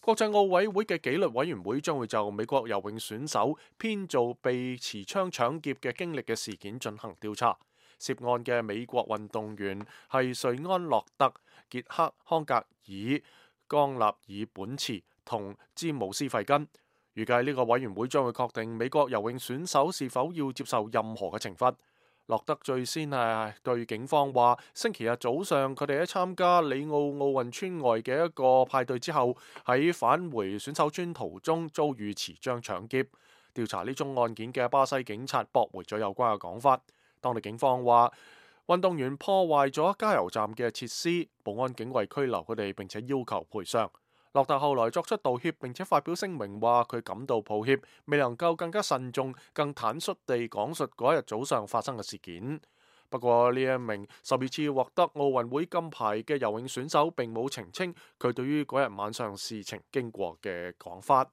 國際奧委會嘅紀律委員會將會就美國游泳選手編造被持槍搶劫嘅經歷嘅事件進行調查。涉案嘅美國運動員係瑞安洛特、傑克康格爾、江納爾本茨同詹姆斯費根。預計呢個委員會將會確定美國游泳選手是否要接受任何嘅懲罰。洛德最先係對警方話，星期日早上佢哋喺參加里奧奧運村外嘅一個派對之後，喺返回選手村途中遭遇持槍搶劫。調查呢宗案件嘅巴西警察駁回咗有關嘅講法。當地警方話，運動員破壞咗加油站嘅設施，保安警衛拘留佢哋，並且要求賠償。洛特後來作出道歉，並且發表聲明話佢感到抱歉，未能夠更加慎重、更坦率地講述嗰一日早上發生嘅事件。不過呢一名12次獲得奧運會金牌嘅游泳選手並冇澄清佢對於嗰日晚上事情經過嘅講法。